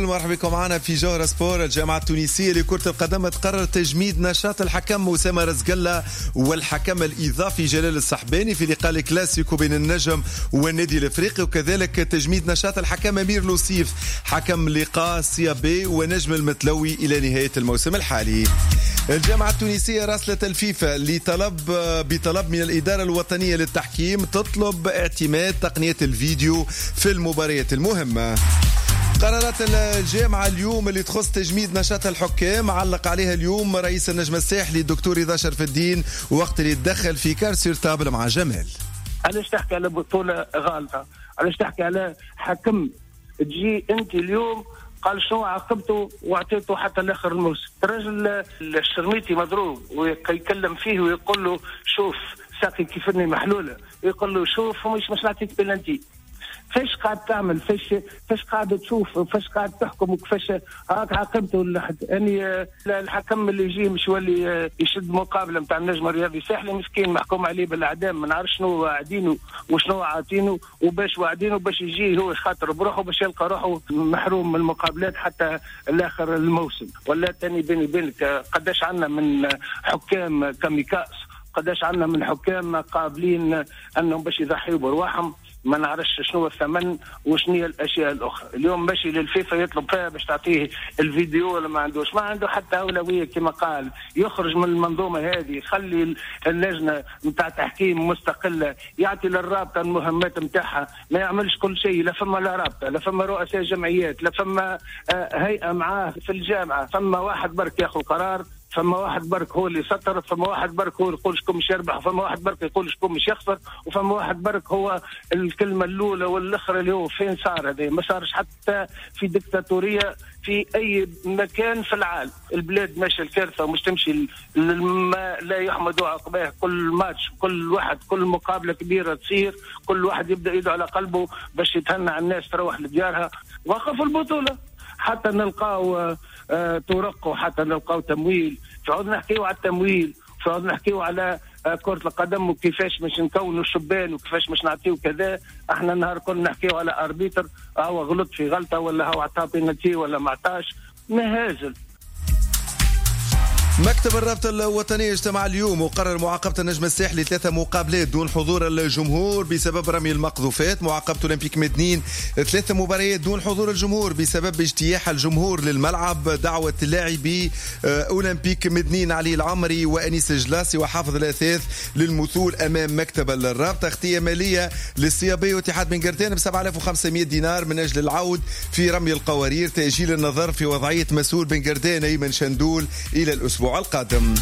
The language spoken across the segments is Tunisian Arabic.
مرحبا بكم معنا في جوهرة سبور. الجامعة التونسية لكرة القدم تقرر تجميد نشاط الحكم أسامة رزق الله والحكم الإضافي جلال السحباني في لقاء الكلاسيكو بين النجم والنادي الإفريقي، وكذلك تجميد نشاط الحكم أمير لوصيف حكم لقاء سيابي ونجم المتلوي إلى نهاية الموسم الحالي. الجامعة التونسية راسلت الفيفا بطلب من الإدارة الوطنية للتحكيم تطلب اعتماد تقنية الفيديو في المباريات المهمة. قرارات الجامعة اليوم اللي تخص تجميد نشاط الحكام علق عليها اليوم رئيس النجم الساحلي الدكتور رضا شرف الدين وقت اللي تدخل في Cartes sur table مع جمال. علاش تحكي على بطولة غالطة؟ علاش تحكي على حكم تجي انت اليوم قال شنو عاقبته واعطيته حتى لاخر الموسم؟ الرجل الشرميتي مضروب ويكلم فيه ويقول له شوف ساقي كيفني محلولة، يقول له شوف مش نعطيك بلانتي. فاش قاعد تعمل؟ فاش قاعد تشوف؟ فاش قاعد تحكم؟ وكيفاش هاك عاقبته؟ يعني الحكم اللي يجي مش يولي يشد مقابله نتاع النجم الرياضي الساحلي مسكين محكوم عليه بالاعدام، ما نعرفش شنو واعدينه وشنو عاطينه وباش واعدينه باش يجي هو خاطر بروحه باش يلقى روحه محروم من المقابلات حتى الاخر الموسم. ولا تاني بيني وبينك قداش عندنا من حكام كاميكاس، قداش عندنا من حكام قابلين انهم باش يضحيوا برواحهم، ما نعرفش شنو الثمن وشنو هي الاشياء الاخرى. اليوم ماشي للفيفا يطلب فيها باش تعطيه الفيديو ولا ما عندوش، ما عنده حتى اولوية كما قال، يخرج من المنظومة هذه، يخلي اللجنة نتاع تحكيم مستقلة، يعطي للرابطة المهمات نتاعها، ما يعملش كل شيء، لا فما لا رابطه، لا فما رؤساء جمعيات، لا فما هيئة معاه في الجامعة، فما واحد برك ياخذ قرار، فما واحد برك هو اللي سطر، فما واحد برك هو يقول شكون مش يربح، فما واحد برك يقول شكون مش يخسر، وفما واحد برك هو الكلمة الأولى والأخرى اللي هو فين صار هذا. ما صارش حتى في ديكتاتورية في أي مكان في العالم. البلاد ماشية الكارثة ومش تمشي ما لا يحمد عقباه. كل ماتش، كل واحد، كل مقابلة كبيرة تصير، كل واحد يبدأ يده على قلبه باش يتهنى على الناس تروح لديارها. وقفوا البطولة حتى نلقاو طرق وحتى نلقاو تمويل. فعود نحكيو على التمويل، فعود نحكيو على كرة القدم وكيفاش باش نكونوا الشبان وكيفاش باش نعطيو كذا. احنا النهار كنا نحكيو على arbitre هو غلط في غلطة ولا هو عطى بينالتي ولا ما عطاش، مهازل. مكتب الرابطة الوطنية اجتمع اليوم وقرر معاقبة النجم الساحلي 3 مقابلات دون حضور الجمهور بسبب رمي المقذوفات، معاقبة أولمبيك مدنين 3 مباريات دون حضور الجمهور بسبب اجتياح الجمهور للملعب، دعوة لاعبي أولمبيك مدنين علي العمري وأنيس جلاسي وحافظ الأثاث للمثول أمام مكتب الرابطة، اختية مالية للسيابي واتحاد بن قردان ب 7500 دينار من أجل العود في رمي القوارير، تأجيل النظر في وضعية مسؤول بن قردان أيمن شندول إلى الأسبوع القادم.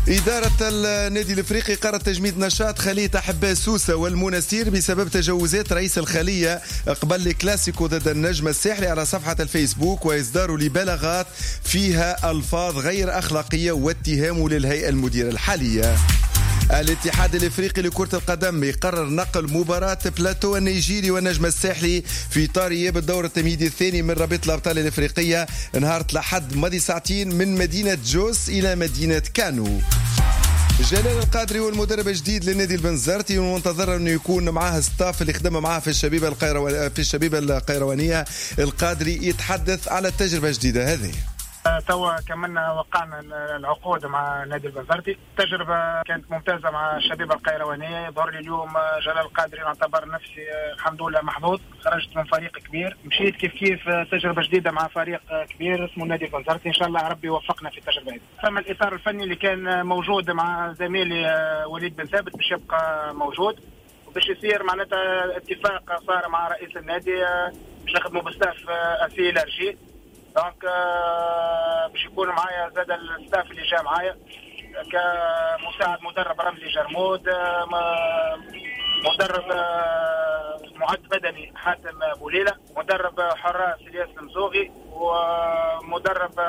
إدارة النادي الإفريقي قررت تجميد نشاط خلية أحباء سوسة والمنستير بسبب تجاوزات رئيس الخلية قبل الكلاسيكو ضد النجم الساحلي على صفحة الفيسبوك وإصداره لبلاغات فيها ألفاظ غير أخلاقية واتهامه للهيئة المديرة الحالية. الاتحاد الافريقي لكرة القدم يقرر نقل مباراة بلاتو النيجيري والنجم الساحلي في اطار اياب الدور التمهيدي الثاني من رابطة الابطال الافريقية نهار الأحد ماضي ساعتين من مدينة جوس الى مدينة كانو. جلال القادري والمدرب الجديد للنادي البنزرتي ومنتظر انه يكون معاه staff اللي خدم معاه في الشبيبة القيروانية. القادري يتحدث على التجربة الجديدة هذه. توا كملنا وقعنا العقود مع نادي البنزرتي، التجربة كانت ممتازة مع الشبيبة القيروانية. ظهر لي اليوم جلال القادري نعتبر نفسي الحمد لله محظوظ، خرجت من فريق كبير، مشيت كيف كيف تجربة جديدة مع فريق كبير اسمه نادي البنزرتي، إن شاء الله ربي يوفقنا في التجربة هذه. فما الإطار الفني اللي كان موجود مع زميلي وليد بن ثابت باش يبقى موجود، وباش يصير معناتها اتفاق صار مع رئيس النادي باش نخدموا ب staff assez élargi. donc باش يكون معايا زاد ال staff اللي جا معايا كمساعد مدرب رمزي جرمود، مدرب معد بدني حاتم بوليلة، مدرب حراس الياس المزوغي، ومدرب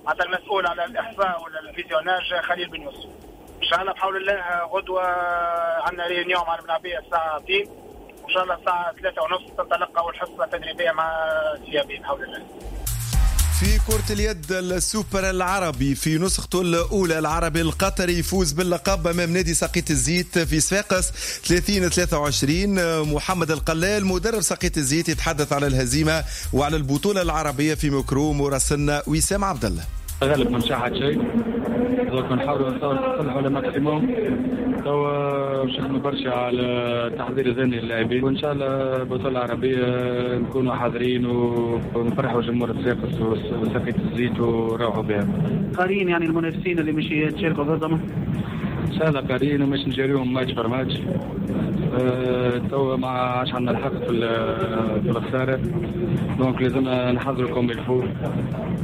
حتى المسؤول على الاحصاء وال visionnage خليل بن يوسف. ان شاء الله بحول الله غدوه عندنا réunion مع الملاعبيه الساعة 2، وان شاء الله الساعة 3:30 تنطلق اول حصة تدريبية مع سيابي بحول الله. في كرة اليد السوبر العربي في نسخته الأولى، العربي القطري يفوز باللقب أمام نادي ساقية الزيت في صفاقس 30-23. محمد القلال مدرب ساقية الزيت يتحدث على الهزيمة وعلى البطولة العربية في ميكرو مراسلنا وسام عبد الله. غالب ما نشاحت شيء، donc نحاولوا نصلحوا le maximum. توا باش نخدموا برشا على التحضير الذهني للاعبين، وان شاء الله البطولة العربية نكونوا حاضرين ونفرحوا جمهور الصفاقس وساقية الزيت ونروحوا بها. قارين يعني المنافسين اللي مش يتشاركوا ضدهم؟ ان شاء الله قارين ومش نجاريهم match par match. توا ما عادش عندنا الحق في الخسارة، donc لازمنا نحضروا comme il faut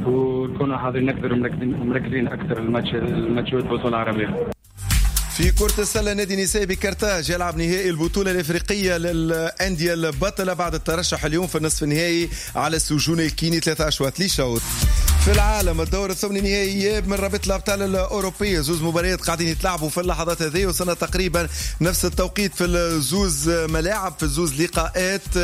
ونكونوا حاضرين اكثر ومركزين اكثر الماتشات البطولة العربية. في كرة السلة نادي نساء بكرتاج يلعب نهائي البطولة الإفريقية للأندية البطلة بعد الترشح اليوم في النصف النهائي على السجون الكيني 3 أشواط لشوط. في العالم الدور الثمن النهائي من رابطة الأبطال الأوروبية، زوز مباريات قاعدين يتلعبوا في اللحظات هذه، وصلنا تقريبا نفس التوقيت في الزوز ملاعب في الزوز لقاءات.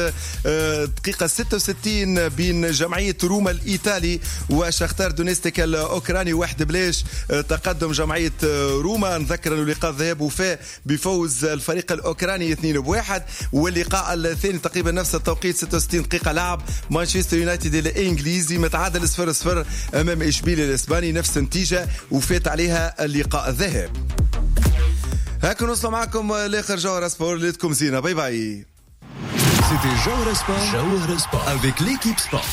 دقيقة 66 بين جمعية روما الإيطالي وشختار دونيستيك الأوكراني 1-0 تقدم جمعية روما. نذكر أنه لقاء الذهاب وفاء بفوز الفريق الأوكراني 2-1، واللقاء الثاني تقريبا نفس التوقيت 66 دقيقة لعب مانشستر يونايتد الإنجليزي متعادل 0-0 أمام إشبيلية الإسباني، نفس النتيجة وفات عليها اللقاء الذهاب. هكا نوصل معكم لآخر جوهرة سبور، ليلتكم زينة، bye bye. C'était Jawhara Sport, Jawhara Sport avec l'équipe sport.